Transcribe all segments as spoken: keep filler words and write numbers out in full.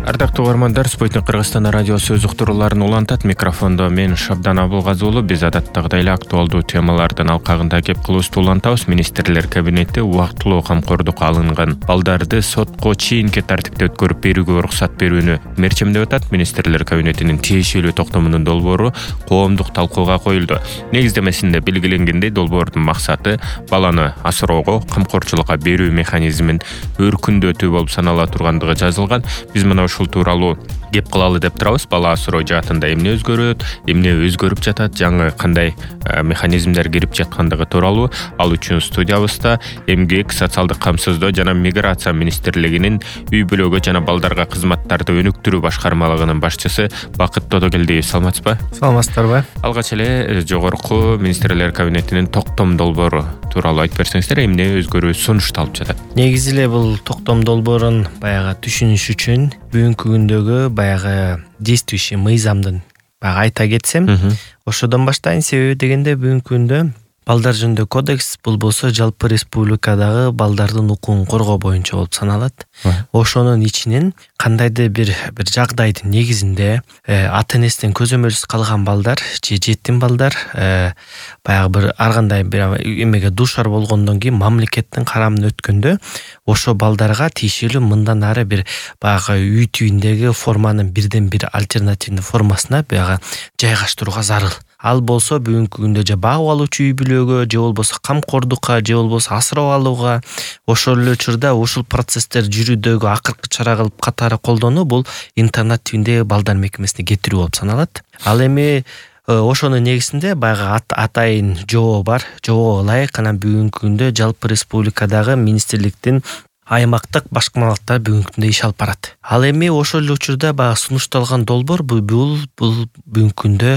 Ардактуу угармандар, Спутник Кыргызстан радиосу өз уктурууларын улантат. Микрофондо мен Шабдан Абылгазы уулу. Биз адаттагыдай эле актуалдуу темалардын алкагында кеп кылуусту улантабыз. Министрлер кабинети убактылуу камкордукка алынган балдарды сотко чейинки тартипте өткөрүп берүүгө уруксат берүүнү мерчемдеп атат. Министрлер кабинетинин тиешелүү токтомунун долбоору коомдук талкууга коюлду. Негиздемесинде белгиленгендей, долбоордун максаты баланы асыроого, камкорчулукка берүү механизмин өркүндөтүү болуп санала тургандыгы жазылган. Биз мына ушул тууралуу кеп кылалы деп турабыз. Бала асыроо жаатында эмне өзгөрөт, эмне өзгөрүп жатат, жаңы кандай механизмдер кирип жаткандыгы тууралуу. Ал үчүн студиябызда Эмгек, социалдык камсыздоо жана миграция министрлигинин үй бүлөгө жана балдарга кызматтарды өнүктүрүү башкармалыгынын башчысы Бакыт Тодогелдиев. Саламатсызбы? Саламатсыздарбы? Алгач эле жогорку министрлер кабинетинин токтом долбоору тууралуу айтып берсеңиздер, эмне өзгөрүү сунушталып жатат? Негизи эле бул токтом долбоорун баягы түшүнүш үчүн бүгүнкү күндөгү баягы действующий мыйзамдын баягы айта кетсем, ошодон баштайын. Себеби дегенде бүгүнкү күндө балдар жөнүндө кодекс бул болсо жалпы республикадагы балдардын укугун коргоо боюнча болуп саналат. Ошонун ичинен кандайдыр бир бир жагдайдын негизинде ата энесинен көзөмөлсүз калган балдар же жетим балдар баягы бир ар кандай бир эмеге дуушар болгондон кийин мамлекеттин карамына өткөндө ошо балдарга тиешелүү мындан ары бир баягы үй түйүндөгү форманын бирден бир альтернативный формасына баягы жайгаштырууга зарыл. Ал болсо бүгүнкү күндө же багып алуучу үй бүлөгө, же болбосо камкордукка, же болбосо асырап алууга, ошол эле учурда ушул процесстер жүрүүдөгү акыркы чара кылып катары колдонуу бул интернат түйүндөгү балдар мекемесине кетирүү болуп саналат. Ал эми ошонун негизинде баягы атайын жобо бар. Жобого ылайык анан бүгүнкү күндө жалпы республикадагы министрликтин аймактык башкармалыктар бүгүнкү күндө иш алып барат. Ал эми ошол эле учурда баягы сунушталган долбоор бул бул бүгүнкү күндө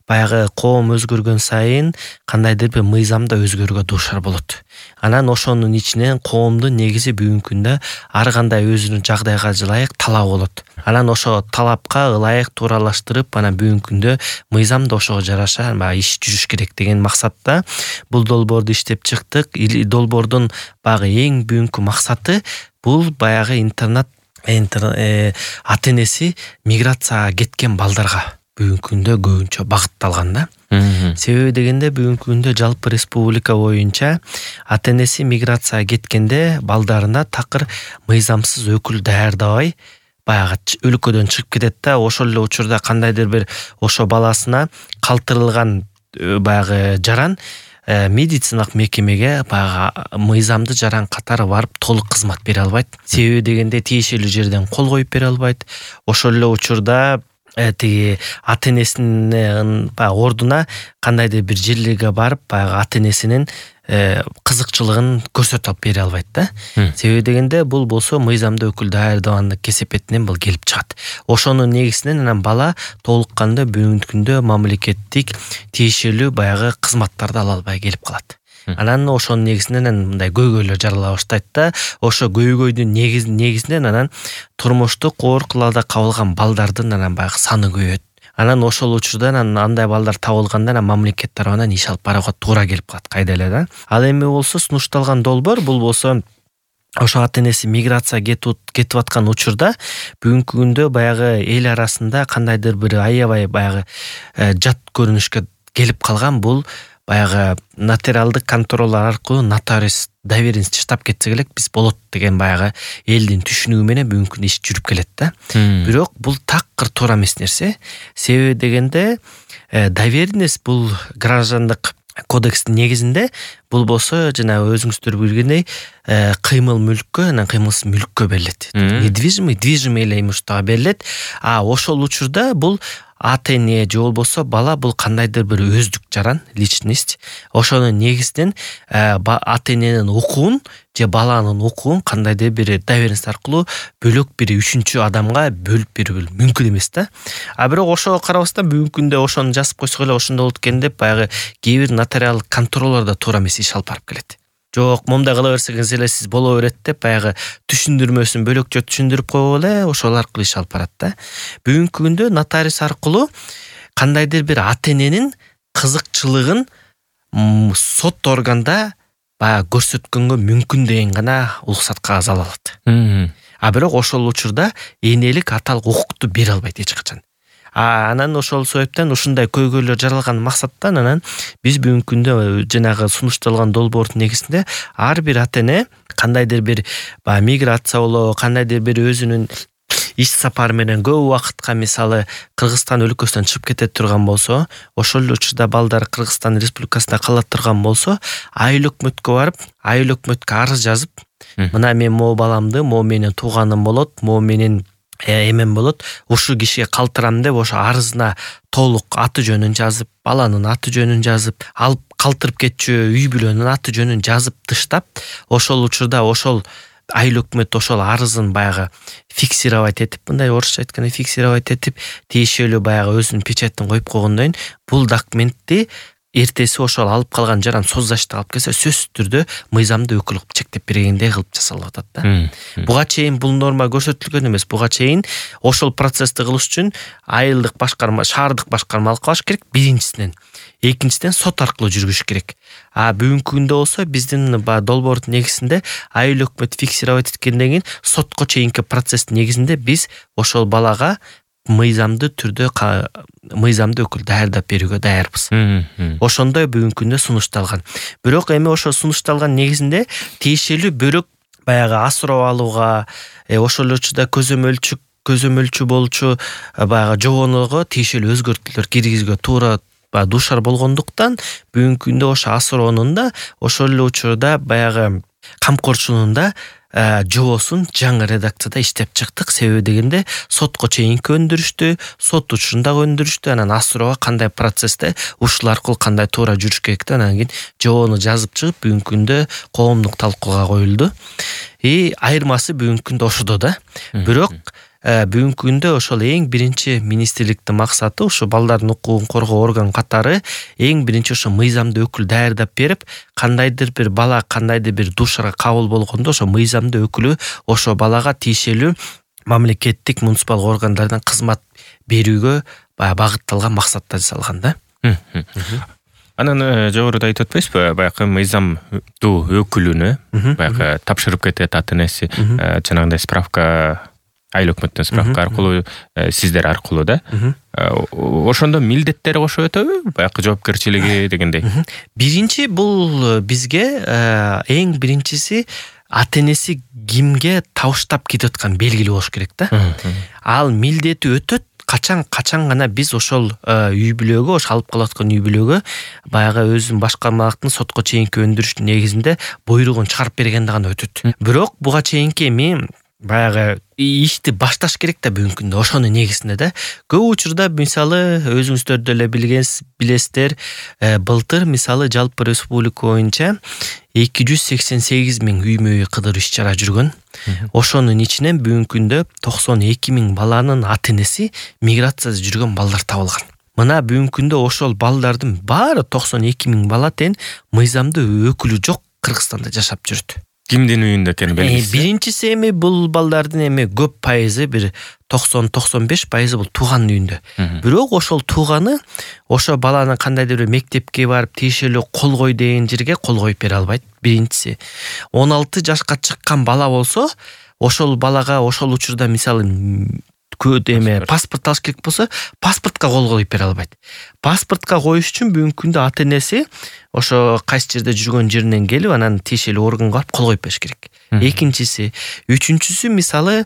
баягы коом өзгөргөн сайын кандайдыр бир мыйзамда өзгөрүүгө дуушар болот. Анан ошонун ичинен коомдун негизи бүгүнкү күндө ар кандай өзүнүн жагдайга ылайык талап болот. Анан ошо талапка ылайык тууралаштырып, анан бүгүнкү күндө мыйзамда ошого жараша баягы иш жүрүш керек деген максатта бул долбоорду иштеп чыктык. Долбоордун баягы эң бүгүнкү максаты бул баягы интернат ата энеси миграцияга кеткен балдарга бүгүнкү күндө көбүнчө багытталган да. Себеби дегенде бүгүнкү күндө жалпы республика боюнча ата энеси миграцияга кеткенде балдарына такыр мыйзамсыз өкүл даярдабай баягы өлкөдөн чыгып кетет да. Ошол эле учурда кандайдыр бир ошо баласына калтырылган баягы жаран медициналык мекемеге баягы мыйзамды жаран катары барып толук кызмат бере албайт. Себеби дегенде тиешелүү жерден кол коюп бере албайт. Ошол эле учурда тиги ата энесинин баягы ордуна кандайдыр бир жерлерге барып баягы ата энесинин кызыкчылыгын көрсөтүп алып бере албайт да. Себеби дегенде бул болсо мыйзамда өкүл даярдагандык кесепетинен бул келип чыгат. Ошонун негизинен анан бала толук кандуу бүгүнкү күндө мамлекеттик тиешелүү баягы кызматтарды ала албай келип калат. Анан ошонун негизинен мындай көйгөйлөр жарала баштайт да. Ошо көйгөйдүн негизинен анан турмуштук оор кылаалда кабылган балдардын анан баягы саны көбөйөт. Анан ошол учурда анан андай балдар табылганда анан мамлекет тарабынан иш алып барууга туура келип калат кайда эле да. Ал эми болсо сунушталган долбоор бул болсо ошо ата энеси миграция кетип кетип аткан учурда бүгүнкү күндө баягы эл арасында кандайдыр бир аябай баягы жат көрүнүшкө келип калган бул баягы нотариалдык контроллор аркылуу нотариус доверенность чыштап кетсек элек биз болот деген баягы элдин түшүнүгү менен бүгүнкү күндө иш жүрүп келет да. Бирок бул такыр туура эмес нерсе. Себеби дегенде доверенность бул граждандык кодекстин негизинде бул болсо жана өзүңүздөр билгендей кыймыл мүлккө анан кыймылсыз мүлккө берилет. Недвижимый, движимый эле имуществого берилет. А ошол учурда бул ата эне же болбосо бала бул кандайдыр бир өздүк жаран, личность. Ошонун негизинен ата эненин укугун же баланын укугун кандайдыр бир доверенность аркылуу бөлөк бир үчүнчү адамга бөлүп берүү мүмкүн эмес да. А бирок ошого карабастан бүгүнкү күндө ошону жазып койсок эле ошондой болот экен деп баягы кээ бир нотариалдык контроллор да туура эмес иш алып барып келет. Жок, момундай кыла берсеңиз эле сиз боло берет деп баягы түшүндүрмөсүн бөлөкчө түшүндүрүп койгон эле ошол аркылуу иш алып барат да. Бүгүнкү күндө нотариус аркылуу кандайдыр бир ата эненин кызыкчылыгын сот органда баягы көрсөткөнгө мүмкүн деген гана уруксат кагаз ала алат. а бирок ошол учурда энелик аталык укукту бере албайт эч качан. А анан ошол себептен ушундай көйгөйлөр жаралган максаттан анан биз бүгүнкү күндө жанагы сунушталган долбоордун негизинде ар бир ата эне кандайдыр бир баягы миграция болобу, кандайдыр бир өзүнүн иш сапары менен көп убакытка мисалы Кыргызстан өлкөсүнөн чыгып кете турган болсо, ошол эле учурда балдар Кыргызстан Республикасында кала турган болсо, айыл өкмөткө барып, айыл өкмөткө арыз жазып, мына мен могу баламды, могу менин тууганым болот, могу менин эмем болот, ушул кишиге калтырам деп ошо арызына толук аты жөнүн жазып, баланын аты жөнүн жазып, алып калтырып кетчү үй бүлөнүн аты жөнүн жазып тыштап, ошол учурда ошол айыл өкмөт ошол арызын баягы фиксировать этип, мындай орусча айтканда фиксировать этип, тиешелүү баягы өзүнүн печатын коюп койгондон кийин бул документти эртеси ошол алып калган жаран соцзащита алып келсе, сөзсүз түрдө мыйзамдуу өкүл кылып чектеп бергендей кылып жасалып атат да. Буга чейин бул норма көрсөтүлгөн эмес. Буга чейин ошол процессти кылыш үчүн айылдык башкарма, шаардык башкарма алып калыш керек биринчисинен. Экинчиден сот аркылуу жүргүзүш керек. А бүгүнкү күндө болсо биздин долбоордун негизинде айыл өкмөт фиксировать эткенден кийин сотко чейинки процесстин негизинде биз ошол балага мыйзамдуу түрдө мыйзамдуу өкүл даярдап берүүгө даярбыз. Ошондой бүгүнкү күндө сунушталган. Бирок эми ошо сунушталган негизинде тиешелүү бөлөк баягы асыроо алууга, ошол эле учурда көзөмөлчү көзөмөлчү болчу баягы жооного тиешелүү өзгөртүүлөр киргизүүгө туура дуушар болгондуктан бүгүнкү күндө ошо асыроонун да ошол эле учурда баягы камкорчунун да жоосун жаңы редакцияда иштеп чыктык. Себеби дегенде сотко чейинки өндүрүштү, сот учурундагы өндүрүштү, анан асыроого кандай процессте ушул аркылуу кандай туура жүрүш керекти, анан кийин жоону жазып чыгып бүгүнкү күндө коомдук талкууга коюлду. И айырмасы бүгүнкү күндө ошодо да. Бирок бүгүнкү күндө ошол эң биринчи министрликтин максаты ушу балдардын укугун коргоо орган катары эң биринчи ошо мыйзамдуу өкүл даярдап берип, кандайдыр бир бала кандайдыр бир дуушарга кабыл болгондо ошо мыйзамдуу өкүлү ошо балага тиешелүү мамлекеттик муниципалдык органдардан кызмат берүүгө баягы багытталган максатта жасалган да. Анан жогоруда айтып атпайсызбы, баягы мыйзамдуу өкүлүнө баягы тапшырып кетет ата энеси, жанагындай справка айыл өкмөттүн справка аркылуу, сиздер аркылуу да. Ошондо милдеттери кошо өтөбү? Баягы жоопкерчилиги дегендей. Биринчи бул бизге эң биринчиси ата энеси кимге табыштап кетип аткан белгилүү болуш керек да. Ал милдети өтөт. Качан качан гана биз ошол үй бүлөгө, ошо алып калып аткан үй бүлөгө баягы өзүнүн башкармалыктын сотко чейинки өндүрүштүн негизинде буйругун чыгарып бергенде гана өтөт. Бирок буга чейинки эми баягы ишти башташ керек да бүгүнкү күндө ошонун негизинде да. Көп учурда мисалы өзүңүздөр деле билесиздер, былтыр мисалы жалпы республика боюнча эки жүз сексен сегиз миң үймө үй кыдыруу иш чара жүргөн. Ошонун ичинен бүгүнкү күндө токсон эки миң баланын ата энеси миграцияда жүргөн балдар табылган. Мына бүгүнкү күндө ошол балдардын баары токсон эки миң бала тең мыйзамдуу өкүлү жок Кыргызстанда жашап жүрөт. Кимдин үйүндө экени белгисиз? Биринчиси эми бул балдардын эми көп пайызы бир токсон токсон беш пайызы бул тууганын үйүндө. Бирок ошол тууганы ошо баланы кандайдыр бир мектепке барып тиешелүү кол кой деген жерге кол коюп бере албайт. Биринчиси. он алты жашка чыккан бала болсо, ошол балага ошол учурда мисалы көт эме паспорт алыш керек болсо, паспортко кол коюп бере албайт. Паспортко коюш үчүн бүгүнкү күндө ата энеси ошо кайсы жерде жүргөн жеринен келип, анан тиешелүү органга барып кол коюп бериш керек. Экинчиси, үчүнчүсү мисалы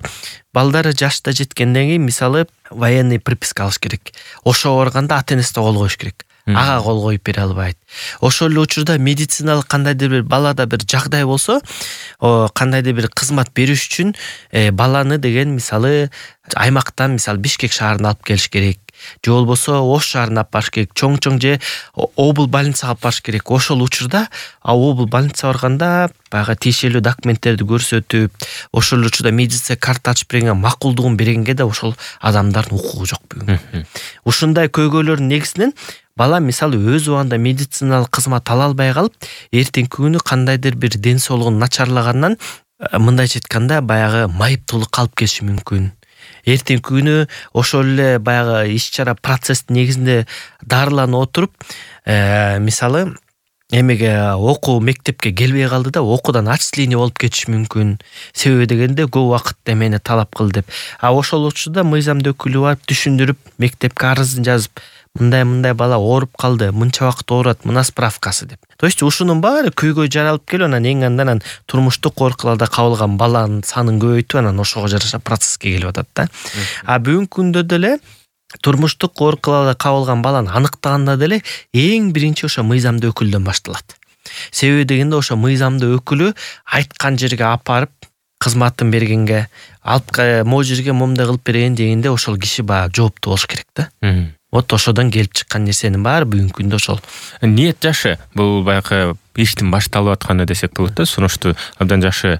балдары жашта жеткенден кийин мисалы военный приписка алыш керек. Ошо барганда ата энеси да кол коюш керек. Ага кол коюп бере албайт. Ошол эле учурда медициналык кандайдыр бир балада бир жагдай болсо, кандайдыр бир кызмат бериш үчүн баланы деген мисалы аймактан мисалы Бишкек шаарына алып келиш керек. Же болбосо Ош шаарына алып барыш керек. Чоң-чоң же обл больницага алып барыш керек. Ошол учурда обл больница барганда баягы тиешелүү документтерди көрсөтүп, ошол учурда медицина карта ачып берген макулдугун бергенге да ошол адамдардын укугу жок бүгүн. Ушундай көйгөйлөрдүн негизинен бала мисалы өз убагында медициналык кызмат ала албай калып, эртеңки күнү кандайдыр бир ден соолугун начарлагандан мындайча айтканда баягы майыптуулукка алып келиши мүмкүн. Эртеңки күнү ошол эле баягы иш чара процесстин негизинде дарыланып отуруп, мисалы эмеге окуу мектепке келбей калды да окуудан отчисление болуп кетиши мүмкүн. Себеби дегенде көп убакыт эмени талап кыл деп. А ошол учурда мыйзамдын өкүлү барып түшүндүрүп, мектепке арызын жазып, мындай мындай бала ооруп калды, мынча убакыт оорат, мына справкасы деп. То есть ушунун баары көйгөй жаралып келип, анан эң андан турмуштук коркуларда кабылган баланын санын көбөйтүп, анан ошого жараша процесске келип атат да. А бүгүнкү күндө деле турмуштук коркуларда кабылган баланы аныктаганда деле эң биринчи ошо мыйзамдуу өкүлдөн башталат. Себеби дегенде ошо мыйзамдуу өкүлү айткан жерге алып барып кызматын бергенге, алып могу жерге момундай кылып берейин дегенде ошол киши баягы жооптуу болуш керек да. Вот ошодон келип чыккан нерсенин баары бүгүнкү күндө ошол. Ниет жакшы. Бул баягы иштин башталып атканы десек болот да. Сунушту абдан жакшы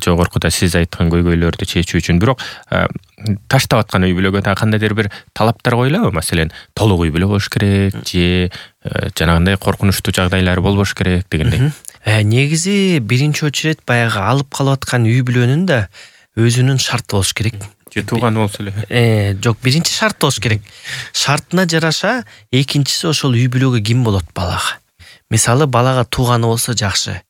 жогоркуда сиз айткан көйгөйлөрдү чечүү үчүн. Бирок таштап аткан үй бүлөгө да кандайдыр бир талаптар коюлабы? Маселен, толук үй бүлө болуш керек же жанагындай коркунучтуу жагдайлар болбош керек дегендей. Э, негизи биринчи очередь баягы алып калып аткан үй бүлөнүн да өзүнүн шарты болуш керек. Же тууган болсо эле. Э, жок, биринчи шарт болуш керек. Шартына жараша экинчиси ошол үй бүлөгө ким болот балага. Мисалы, балага тууганы болсо жакшы.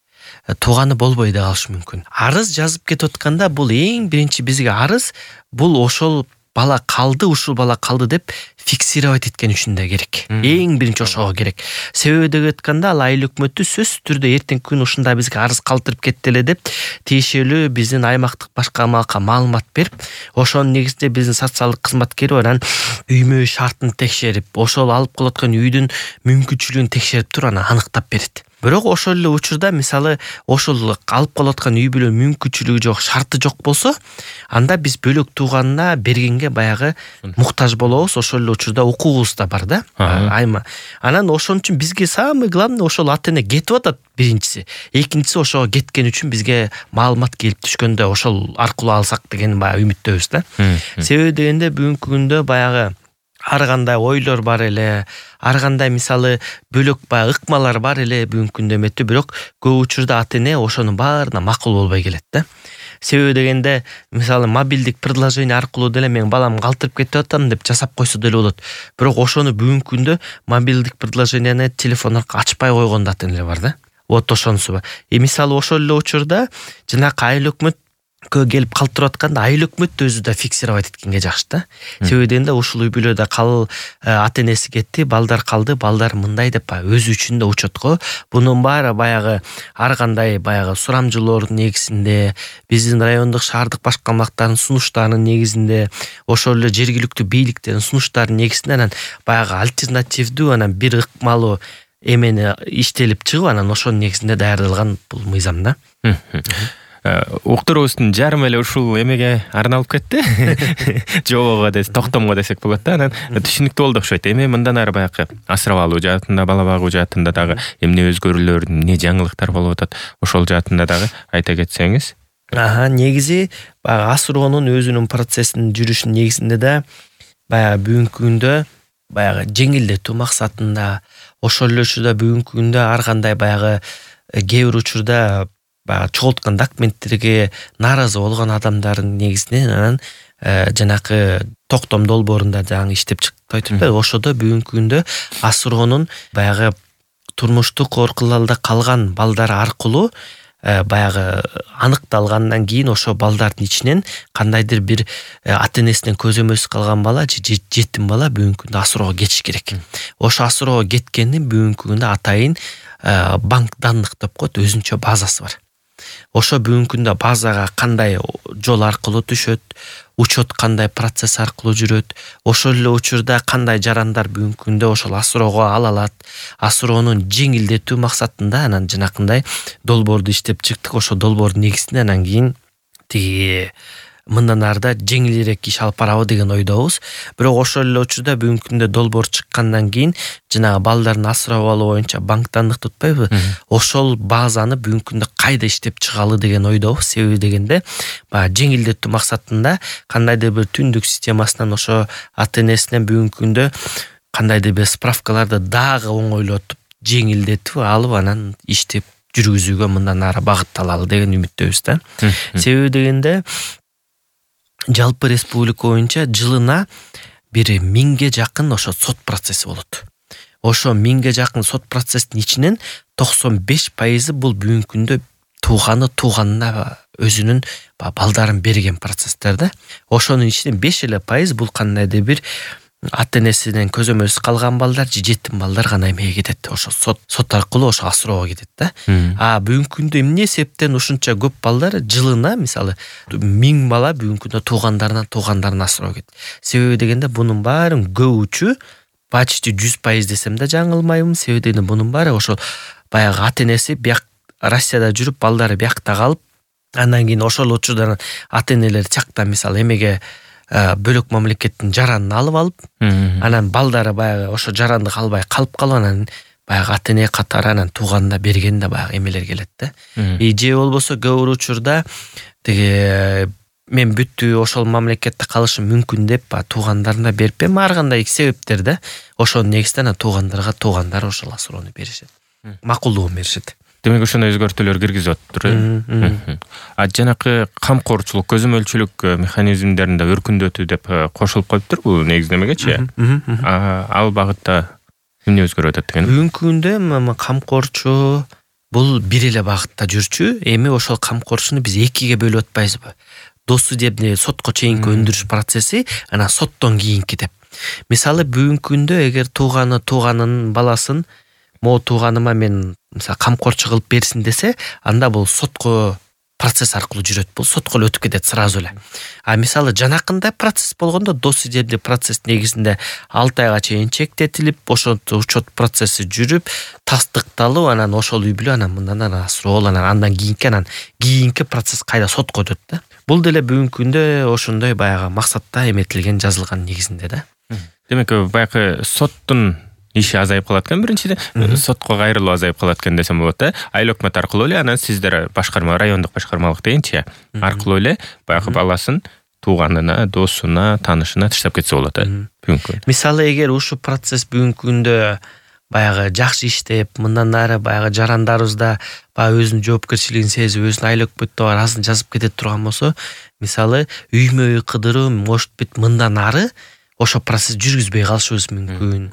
Тууганы болбой да калышы мүмкүн. Арыз жазып кетип атканда бул эң биринчи бизге арыз бул ошол бала калды, ушул бала калды деп фиксировать эткен үчүн да керек. Эң биринчи ошого керек. Себеби деп айтканда ал айыл өкмөтү сөзсүз түрдө эртеңки күн ушундай бизге арыз калтырып кетти эле деп тиешелүү биздин аймактык башкармалыкка маалымат берип, ошонун негизинде биздин социалдык кызмат келип анан үймө шартын текшерип, ошол алып калып аткан үйдүн мүмкүнчүлүгүн текшерип туруп анан аныктап берет. Бирок ошол эле учурда мисалы ошол алып калып аткан үй бүлө мүмкүнчүлүгү жок, шарты жок болсо, анда биз бөлөк тууганына бергенге баягы муктаж болобуз. Ошол эле учурда укугубуз да бар да. Айма. Анан ошон үчүн бизге самый главный ошол ата-эне кетип атат биринчиси. Экинчиси ошого кеткен үчүн бизге маалымат келип түшкөндө ошол аркылуу алсак деген баягы үмүттөбүз да. Себеби дегенде бүгүнкү күндө баягы ар кандай ойлор бар эле, ар кандай мисалы бөлөк баягы ыкмалар бар эле бүгүнкү күндө эметти, бирок көп учурда ата-эне ошонун баарына макул болбой келет да. Себеби дегенде мисалы мобилдик предложение аркылуу деле мен балам калтырып кетип атам деп жасап койсо деле болот. Бирок ошону бүгүнкү күндө мобилдик предложениени телефон аркылуу ачпай койгон да ата-энелер бар да. Вот ошонусу бар. И мисалы ошол эле учурда жанакы айыл өкмөт көө келип калтырып атканда айыл өкмөт өзү да фиксировать эткенге жакшы да. Себеби дегенде ушул үй бүлөдө кал ата-энеси кетти, балдар калды, балдар мындай деп өзү үчүн да учетко. Бунун баары баягы ар кандай баягы сурамжылоордун негизинде, биздин райондук шаардык башкармалыктардын сунуштарынын негизинде, ошол эле жергиликтүү бийликтердин сунуштарынын негизинде анан баягы альтернативдүү анан бир ыкмалуу эмени иштелип чыгып, анан ошонун негизинде даярдалган бул мыйзам да. Уктуруубуздун жарымы эле ушул эмеге арналып кетти. Жобого десек, токтомго десек болот да. Анан түшүнүктүү болду окшойт. Эми мындан ары баягы асырап алуу жаатында, бала багуу жаатында дагы эмне өзгөрүүлөр, эмне жаңылыктар болуп атат, ошол жаатында дагы айта кетсеңиз. Аха, негизи баягы асыроонун өзүнүн процессинин жүрүшүнүн негизинде да баягы бүгүнкү күндө баягы жеңилдетүү максатында, ошол эле учурда бүгүнкү күндө ар кандай баягы кээ бир учурда баягы чогулткан документтерге нааразы болгон адамдардын негизинен анан жанакы токтом долбоорунда жаңы иштеп чыкты айтып атпайбы, ошодо бүгүнкү күндө асыроонун баягы турмуштук коркуларда калган балдар аркылуу баягы аныкталгандан кийин ошо балдардын ичинен кандайдыр бир ата-энесинен көзөмөлсүз калган бала же жетим бала бүгүнкү күндө асыроого кетиш керек. Ошо асыроого кеткендин бүгүнкү күндө атайын банк данных деп коет, өзүнчө базасы бар. Ошо бүгүнкү күндө базага кандай жол аркылуу түшөт, учет кандай процесс аркылуу жүрөт, ошол эле учурда кандай жарандар бүгүнкү күндө ошол асыроого ала алат, асыроонун жеңилдетүү максатында анан жанакындай долбоорду иштеп чыктык. Ошо долбоордун негизинде анан кийин тиги мындан арда жеңилирээк иш алып барабы деген ойдобуз. Бирок ошол эле учурда бүгүнкү күндө долбоор чыккандан кийин жанагы балдардын асырап алуу боюнча банк данныкты утпайбы? Ошол базаны бүгүнкү күндө кайда иштеп чыгалы деген ойдобуз. Себеби дегенде баягы жеңилдетүү максатында кандайдыр бир түндүк системасынан ошо ата-энесинен бүгүнкү күндө кандайдыр бир справкаларды дагы оңойлотуп, жеңилдетип алып анан иштеп жүргүзүүгө мындан ары багытталалы деген үмүттөбүз да. Себеби дегенде жалпы республика боюнча жылына бир миңге жакын ошо сот процесси болот. ошо миңге жакын сот процесстин ичинен токсон беш пайызы бул бүгүнкү күндө тууганы тууганына өзүнүн балдарын берген процесстер да. Ошонун ичинен беш эле пайыз бул кандайдыр бир ата энесинен көзөмөлсүз калган балдар же жетим балдар гана эмеге кетет. Ошо сот сот аркылуу ошо асыроого кетет да. А бүгүнкү күндө эмне себептен ушунча көп балдар жылына мисалы миң бала бүгүнкү күндө туугандарынан туугандарына асыроо кетет. Себеби дегенде бунун баарын көп учу почти жүз пайыз десем да жаңылмайбын. Себеби дегенде бунун баары ошол баягы ата энеси бияк Россияда жүрүп балдары биякта калып, андан кийин ошол учурдан ата энелер чакта мисалы эмеге бөлөк мамлекеттин жаранын алып алып, анан балдары баягы ошо жаранды калбай калып калып, анан баягы ата эне катары анан тууганына берген да баягы эмелер келет да. И же болбосо көп бир учурда тиги мен бүттү ошол мамлекетте калышым мүмкүн деп туугандарына берпем, ар кандай себептер да. Ошонун негизинде туугандарга туугандар ошол асыроону беришет. Макулдугун беришет. Демек ошондой өзгөртүүлөр киргизип атыптыр. А жанакы камкорчулук, көзөмөлчүлүк механизмдеринде өркүндөтүү деп кошулуп коюптур бул негиздемегечи. Ал багытта эмне өзгөрүп атат деген? Бүгүнкү күндө камкорчу бул бир эле багытта жүрчү. Эми ошол камкорчуну биз экиге бөлүп атпайбызбы? Досудебный сотко чейинки өндүрүш процесси, анан соттон кийинки деп. Мисалы бүгүнкү күндө эгер тууганы тууганынын баласын могу тууганыма мен мисалы камкорчу кылып берсин десе, анда бул сотко процесс аркылуу жүрөт. Бул сотко эле өтүп кетет сразу эле. А мисалы жанакындай процесс болгондо досудебный процесс негизинде алты айга чейин чектетилип, ошол учет процесси жүрүп, тастыкталып, анан ошол үй бүлө анан мындан анан асыроо, анан андан кийинки анан кийинки процесс кайда сотко өтөт да. Бул деле бүгүнкү күндө ошондой баягы максатта эметилген, жазылган негизинде да. Демек баягы соттун иши азайып калат экен, биринчиден сотко кайрылуу азайып калат экен десем болот да. Айыл өкмөт аркылуу эле анан сиздер башкарма, райондук башкармалык дегенчи аркылуу эле баягы баласын тууганына, досуна, таанышына таштап кетсе болот да. Бүгүнкү. Мисалы эгер ушул процесс бүгүнкү күндө баягы жакшы иштеп, мындан ары баягы жарандарыбызда баягы өзүнүн жоопкерчилигин сезип, өзүнүн айыл өкмөттө бар азын жазып кетет турган болсо, мисалы үймө үй кыдыруу, может быть, мындан ары ошо процесс жүргүзбөй калышыбыз мүмкүн.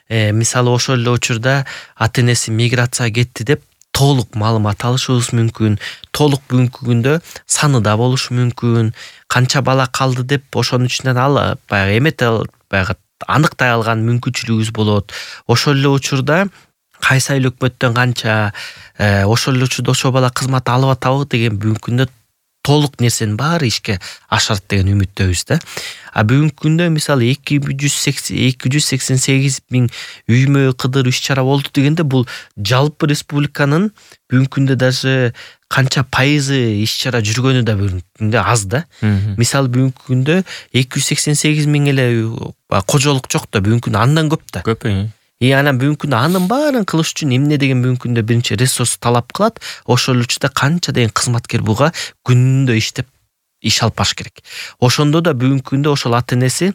Э, мисалы ошол эле учурда ата энеси миграцияга кетти деп толук маалымат алышыбыз мүмкүн. Толук бүгүнкү күндө саны да болушу мүмкүн. Канча бала калды деп ошонун ичинен ал баягы эмете баягы аныктай алган мүмкүнчүлүгүбүз болот. Ошол эле учурда кайсы айыл өкмөттөн канча, ошол эле учурда ошол бала кызмат алып атабы деген бүгүнкү күндө толук нерсенин баары ишке ашат деген үмүттөбүз да. А бүгүнкү күндө мисалы эки жүз сексен сегиз миң үймө кыдыр иш чара болду дегенде бул жалпы республиканын бүгүнкү күндө даже канча пайызы иш чара жүргөнү да бүгүнкү күндө аз да. Мисалы бүгүнкү күндө эки жүз сексен сегиз миң эле кожолук жок да, бүгүнкү күндө андан көп да. Көп. И анан бүгүнкү күндө анын баарын кылыш үчүн эмне деген бүгүнкү күндө биринчи ресурс талап кылат. Ошол учурда канча деген кызматкер буга күнүндө иштеп иш алып баш керек. Ошондо да бүгүнкү күндө ошол ата энеси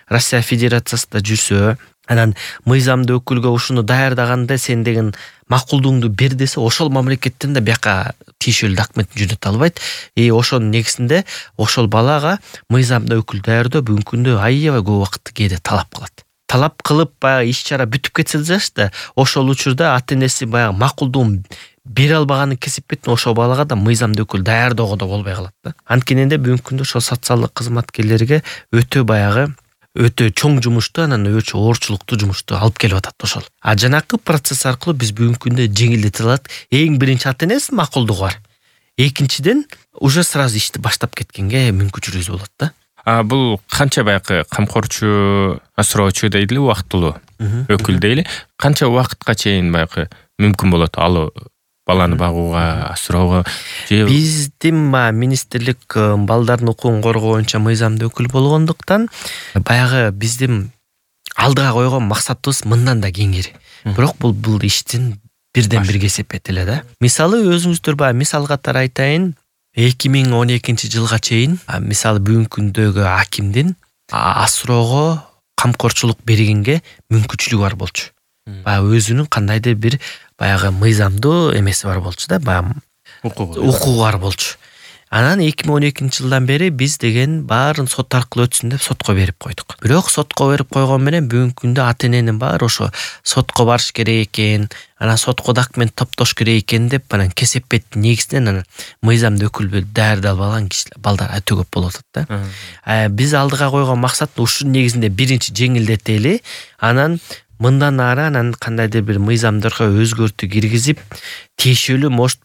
Россия Федерациясында жүрсө, анан мыйзамдуу өкүлгө ушуну даярдаганда сен деген макулдугуңду бер десе, ошол мамлекеттен да бияка тиешелүү документин жөнөтө албайт. И ошонун негизинде ошол балага мыйзамдуу өкүл даярдоо бүгүнкү күндө аябай көп убакытты кээде талап кылат. Талап кылып баягы иш чара бүтүп кетсе да, ошол учурда ата энеси баягы макулдугун бере албаганын кесипетин ошол балага да мыйзамдуу өкүл даярдоого да болбой калат да. Анткенде бүгүнкү күндө ошол социалдык кызматкерлерге өтө баягы өтө чоң жумушту, анан өчө оорчулуктуу жумушту алып келип атат ошол. А жанакы процесс аркылуу биз бүгүнкү күндө жеңилдете алат. Эң биринчи ата энесинин макулдугу бар. Экинчиден уже сразу ишти баштап кеткенге мүмкүнчүлүгүбүз болот да. А бул канча баягы камкорчу, асыроочу дейли, убактылуу өкүл дейли, канча убакытка чейин баягы мүмкүн болот ал баланы багууга, асыроого? Биздин министрлик балдардын укугун коргоо боюнча мыйзамдуу өкүл болгондуктан баягы биздин алдыга койгон максатыбыз мындан да кеңири. Бирок бул бул иштин бирден бир кесепети эле да. Мисалы өзүңүздөр баягы мисал катары айтайын, эки миң он экинчи жылга чейин мисалы бүгүнкү күндөгү акимдин асыроого камкорчулук бергенге мүмкүнчүлүгү бар болчу. Баягы өзүнүн кандайдыр бир баягы мыйзамдуу эмеси бар болчу да, баягы укугу бар болчу. Анан эки миң он экинчи жылдан бери биз деген баарын сот аркылуу өтсүн деп сотко берип койдук. Бирок сотко берип койгон менен бүгүнкү күндө ата эненин баары ошо сотко барыш керек экен, анан сотко документ топтош керек экен деп анан кесепеттин негизинен анан мыйзамда өкүл даярдап алып алган кишилер балдар өтө көп болуп атат да. Биз алдыга койгон максат ушунун негизинде биринчи жеңилдетели, анан мындан ары анан кандайдыр бир мыйзамдарга өзгөртүү киргизип, тиешелүү может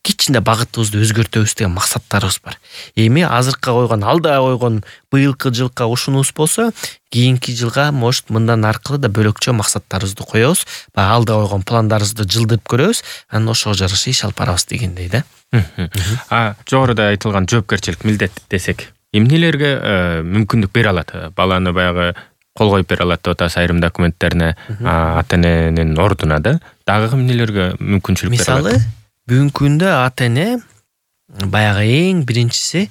кичине багытыбызды өзгөртөбүз деген максаттарыбыз бар. Эми азыркы койгон, алдыга койгон быйылкы жылга ушунубуз болсо, кийинки жылга может мындан аркылуу да бөлөкчө максаттарыбызды коебуз. Баягы алдыга койгон пландарыбызды жылдырып көрөбүз, анан ошого жараша иш алып барабыз дегендей да. А жогоруда айтылган жоопкерчилик милдет десек, эмнелерге мүмкүндүк бере алат? Баланы баягы кол коюп бере алат деп атабыз айрым документтерине, ата эненин ордуна да. Дагы эмнелерге мүмкүнчүлүк бере алат? Мисалы, бүгүнкү күндө ата эне баягы эң биринчиси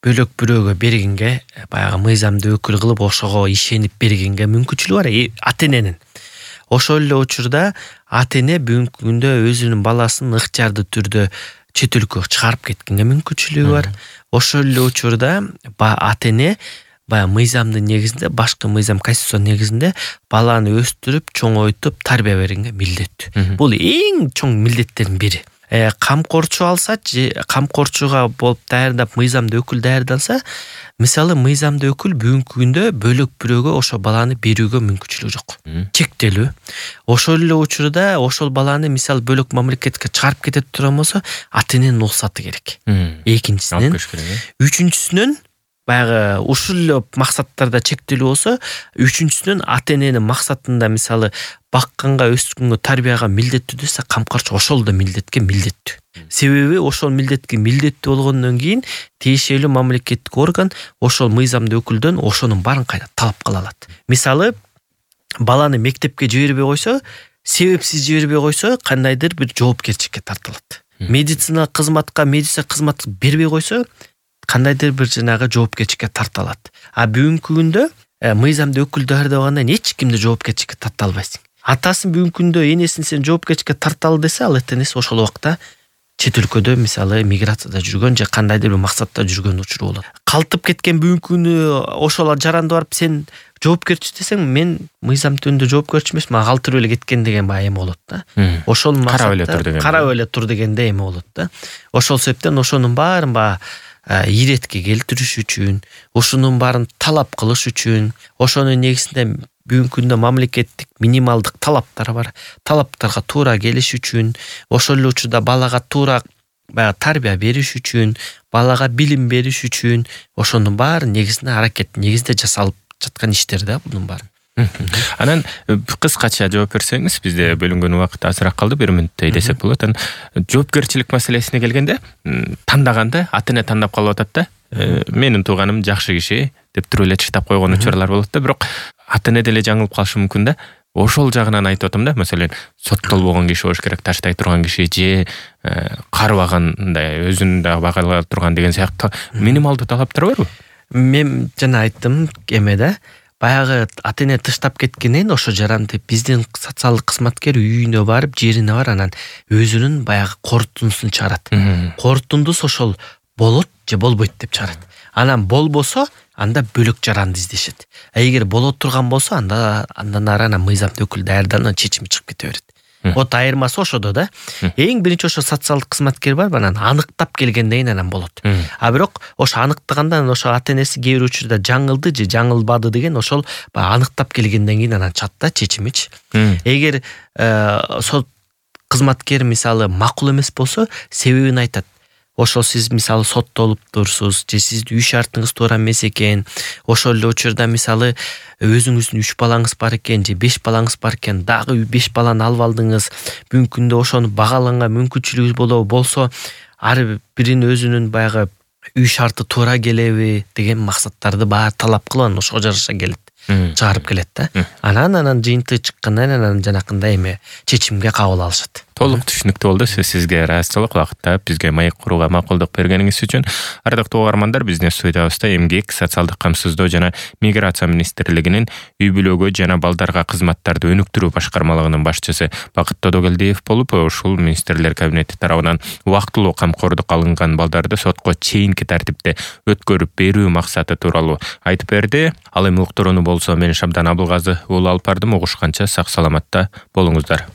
бөлөк бирөөгө бергенге, баягы мыйзамды өкүл кылып ошого ишенип бергенге мүмкүнчүлүгү бар ата эненин. Ошол эле учурда ата эне бүгүнкү күндө өзүнүн баласын ыктыярдуу түрдө чет өлкөгө чыгарып кеткенге мүмкүнчүлүгү бар. Ошол эле учурда ата эне баягы мыйзамдын негизинде, башкы мыйзам конституциянын негизинде баланы өстүрүп, чоңойтуп, тарбия бергенге милдеттүү. Бул эң чоң милдеттердин бири. Э, камкорчу алса, же камкорчуга болуп даярдап мыйзамда өкүл даярдалса, мисалы мыйзамда өкүл бүгүнкү күндө бөлөк бирөөгө ошо баланы берүүгө мүмкүнчүлүгү жок. Чектелүү. Ошол эле учурда ошол баланы мисалы бөлөк мамлекетке чыгарып кетет турган болсо, ата эненин уруксаты керек. Экинчисинен, үчүнчүсүнөн баягы ушул эле максаттарда чектелүү болсо, үчүнчүсүнөн ата эненин максатында мисалы бакканга, өскөнгө, тарбияга милдеттүү десе, камкорчу ошол да милдетке милдеттүү. Себеби ошол милдетке милдеттүү болгондон кийин тиешелүү мамлекеттик орган ошол мыйзамды өкүлдөн ошонун баарын кайра талап кыла алат. Мисалы, баланы мектепке жибербей койсо, себепсиз жибербей койсо, кандайдыр бир жоопкерчиликке тартылат. Медициналык кызматка, медицина кызмат бербей койсо, кандайдыр бир жанагы жоопкерчиликке тартылат. А бүгүнкү күндө мыйзамды өкүл даярдабагандан эч кимди жоопкерчиликке тарта албайсың. Атасын бүгүнкү күндө энесин сен жоопкерчиликке тарталы десе, ал энеси ошол убакта чет өлкөдө мисалы миграцияда жүргөн же кандайдыр бир максатта жүргөн учуру болот. Калтып кеткен бүгүнкү күнү ошол жаранды барып сен жоопкерчи десең, мен мыйзам түбүндө жоопкерчи эмес, мага калтырып эле кеткен деген баягы эме болот да. Ошол карап эле тур деген. Карап эле тур дегенде эме болот да. Ошол себептен ошонун баарын баягы иретке келтириш үчүн, ошонун баарын талап кылыш үчүн, ошонун негизинде бүгүнкү күндө мамлекеттик минималдык талаптар бар. Талаптарга туура келиш үчүн, ошол эле учурда балага туура баягы тарбия бериш үчүн, балага билим бериш үчүн, ошонун баары негизинде аракет негизинде жасалып жаткан иштер да бунун баары. Анан кыскача жооп берсеңиз, бизде бөлүнгөн убакыт азыраак калды, бир мүнөттөй десек болот. Анан жоопкерчилик маселесине келгенде, тандаганда ата эне тандап калып атат да. Менин тууганым жакшы киши деп туруп эле чыктап койгон учурлар болот да, бирок ата эне деле жаңылып калышы мүмкүн да. Ошол жагынан айтып атам да, маселен, соттолбогон киши болуш керек, таштай турган киши же карыбагандай, өзүн да багала турган деген сыяктуу минималдуу талаптар барбы? Мен жана айттым эме да, баягы ата эне тыштап кеткенен ошо жаранды биздин социалдык кызматкер үйүнө барып, жерине бар, анан өзүнүн баягы корутундусун чыгарат. Корутундус ошол болот же болбойт деп чыгарат. Анан болбосо, анда бөлөк жаранды издешет. А эгер боло турган болсо, анда андан ары анан мыйзамды өкүл даярданып чечими чыгып кете берет. Вот айырмасы ошодо да. Эң биринчи ошо социалдык кызматкер бар, анан аныктап келгенден кийин анан болот. А бирок ошо аныктаганда ошо ата энеси кээ бир учурда жаңылды же жаңылбады деген ошол аныктап келгенден кийин анан чат да чечимичи. Эгер сот кызматкер мисалы макул эмес болсо, себебин айтат. Ошол сиз мисалы соттолуптурсуз же сиздин үй шартыңыз туура эмес экен. Ошол эле учурда мисалы өзүңүздүн үч балаңыз бар экен же беш балаңыз бар экен, дагы беш баланы алып алдыңыз. Бүгүнкү күндө ошону багаланга мүмкүнчүлүгүңүз болобу, болсо ар бирин өзүнүн баягы үй шарты туура келеби деген максаттарды баары талап кылып анан ошого жараша келет. чыгарып келет да. Анан анан жыйынтыгы чыккандан анан жанакындай эме чечимге кабыл алышат. Толук түшүнүктүү болду. Сизге ыраазычылык убакытта бизге маек курууга макулдук бергениңиз үчүн. Ардактуу угармандар, биздин студиябызда эмгек, социалдык камсыздоо жана миграция министрлигинин үй бүлөгө жана балдарга кызматтарды өнүктүрүү башкармалыгынын башчысы Бакыт Тодогелдиев болуп, ушул министрлер кабинети тарабынан убактылуу камкордук алынган балдарды сотко чейинки тартипте өткөрүп берүү максаты тууралуу айтып берди. Ал эми уктурууну болсо мен Шабдан Абылгазы уулу алып бардым. Угушканча сак саламатта болуңуздар.